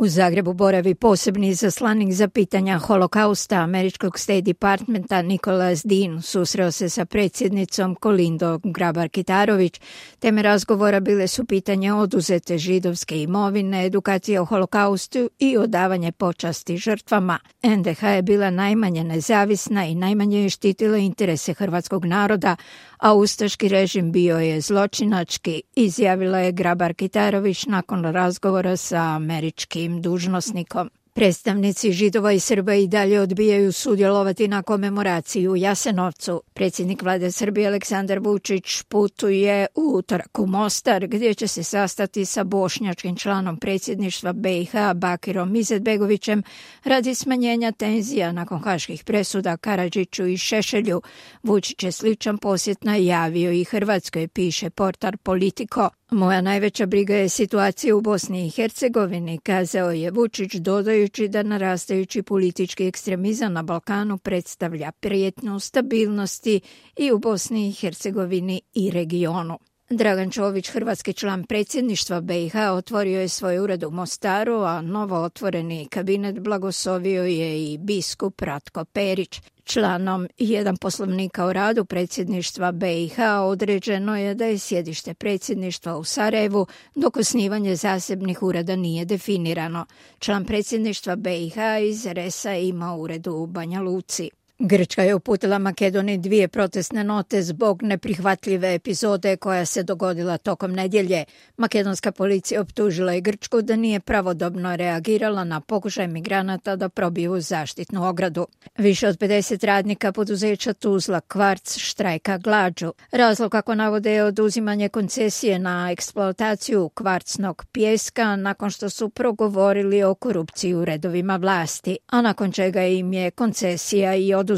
U Zagrebu boravi posebni izaslanik za pitanja holokausta američkog State Departmenta Nicholas Dean susreo se sa predsjednicom Kolindom Grabar-Kitarović. Teme razgovora bile su pitanje oduzete židovske imovine, edukacije o holokaustu i odavanje počasti žrtvama. NDH je bila najmanje nezavisna i najmanje je štitila interese hrvatskog naroda, a ustaški režim bio je zločinački, izjavila je Grabar-Kitarović nakon razgovora sa američkim dužnosnikom. Predstavnici Židova i Srba i dalje odbijaju sudjelovati na komemoraciji u Jasenovcu. Predsjednik vlade Srbije Aleksandar Vučić putuje u utorak u Mostar, gdje će se sastati sa bošnjačkim članom predsjedništva BiH Bakirom Izetbegovićem radi smanjenja tenzija nakon haških presuda Karadžiću i Šešelju. Vučić je sličan posjet najavio i Hrvatskoj, piše portal Politico. Moja najveća briga je situacija u Bosni i Hercegovini, kazao je Vučić, dodajući da narastajući politički ekstremizam na Balkanu predstavlja prijetnju stabilnosti i u Bosni i Hercegovini i regionu. Dragan Čović, hrvatski član predsjedništva BiH, otvorio je svoj ured u Mostaru, a novo otvoreni kabinet blagoslovio je i biskup Ratko Perić. Članom 1 poslovnika o radu predsjedništva BiH određeno je da je sjedište predsjedništva u Sarajevu, dok osnivanje zasebnih ureda nije definirano. Član predsjedništva BiH iz RS-a ima ured u Banja Luci. Grčka je uputila Makedoniji 2 protestne note zbog neprihvatljive epizode koja se dogodila tokom nedjelje. Makedonska policija optužila je Grčku da nije pravodobno reagirala na pokušaj migranata da probiju zaštitnu ogradu. Više od 50 radnika poduzeća Tuzla Kvarc štrajka glađu. Razlog, kako navode, je oduzimanje koncesije na eksploataciju kvarcnog pijeska nakon što su progovorili o korupciji u redovima vlasti, a nakon čega im je koncesija i oduzeta.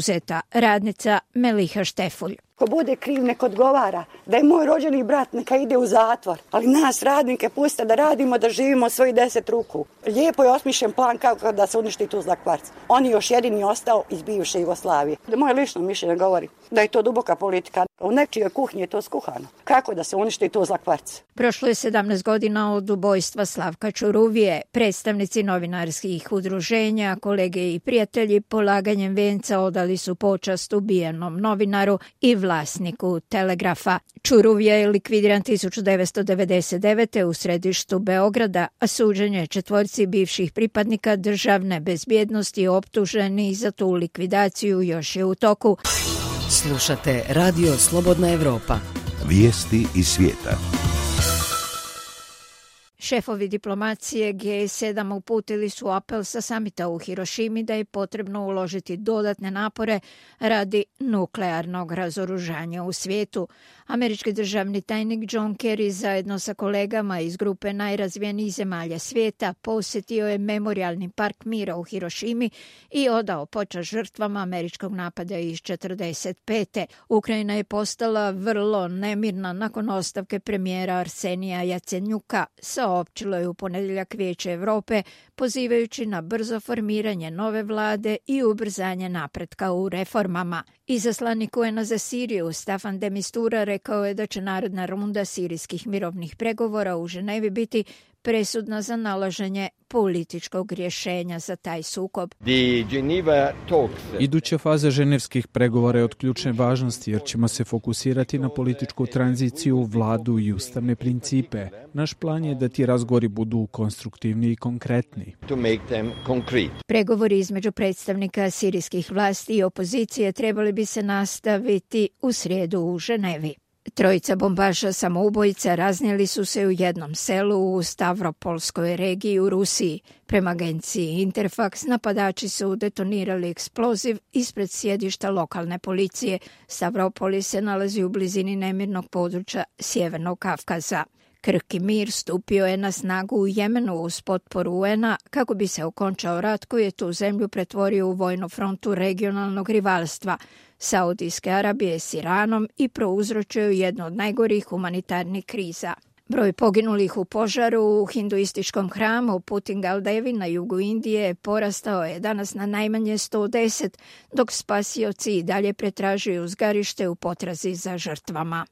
Radnica Meliha Štefulj. Ko bude kriv nek odgovara, da je moj rođeni brat neka ide u zatvor, ali nas radnike puste da radimo, da živimo svojih 10 ruku. Lijepo je osmišljen plan kako da se uništi Tuzla Kvarc. On je još jedini ostao iz bivše Jugoslavije. Moje lično mišljenje govori da je to duboka politika. U nečijoj kuhinji je to skuhano. Kako da se uništi Tuzla Kvarc? Prošlo je 17 godina od ubojstva Slavka Čuruvije. Predstavnici novinarskih udruženja, kolege i prijatelji polaganjem venca odali su počast ubijenom novinaru i vlasniku Telegrafa. Čuruvija je likvidiran 1999. u središtu Beograda, a suđenje 4 bivših pripadnika državne bezbjednosti optuženi za tu likvidaciju još je u toku. Slušate Radio Slobodna Evropa. Vijesti iz svijeta. Šefovi diplomacije G7 uputili su apel sa samita u Hirošimi da je potrebno uložiti dodatne napore radi nuklearnog razoružanja u svijetu. Američki državni tajnik John Kerry zajedno sa kolegama iz grupe najrazvijenijih zemalja svijeta posjetio je memorijalni park mira u Hirošimi i odao počast žrtvama američkog napada iz 1945. Ukrajina je postala vrlo nemirna nakon ostavke premijera Arsenija Jacenjuka, saopćilo je u ponedjeljak Vijeće Europe, pozivajući na brzo formiranje nove vlade i ubrzanje napretka u reformama. Izaslanik UN-a za Siriju Staffan de Mistura rekao je da će naredna runda sirijskih mirovnih pregovora u Ženevi biti presudna za nalaženje političkog rješenja za taj sukob. Iduća faza ženevskih pregovora je od ključne važnosti jer ćemo se fokusirati na političku tranziciju, vladu i ustavne principe. Naš plan je da ti razgovori budu konstruktivni i konkretni. Pregovori između predstavnika sirijskih vlasti i opozicije trebali bi se nastaviti u srijedu u Ženevi. 3 bombaša samoubojica raznijeli su se u jednom selu u Stavropolskoj regiji u Rusiji. Prema agenciji Interfax, napadači su detonirali eksploziv ispred sjedišta lokalne policije. Stavropol se nalazi u blizini nemirnog područja Sjevernog Kavkaza. Krki mir stupio je na snagu u Jemenu uz potporu UN-a kako bi se okončao rat koji je tu zemlju pretvorio u vojnu frontu regionalnog rivalstva Saudijske Arabije s Iranom i prouzročio jednu od najgorih humanitarnih kriza. Broj poginulih u požaru u hinduističkom hramu Putingaldevi na jugu Indije porastao je danas na najmanje 110, dok spasioci i dalje pretražuju zgarište u potrazi za žrtvama.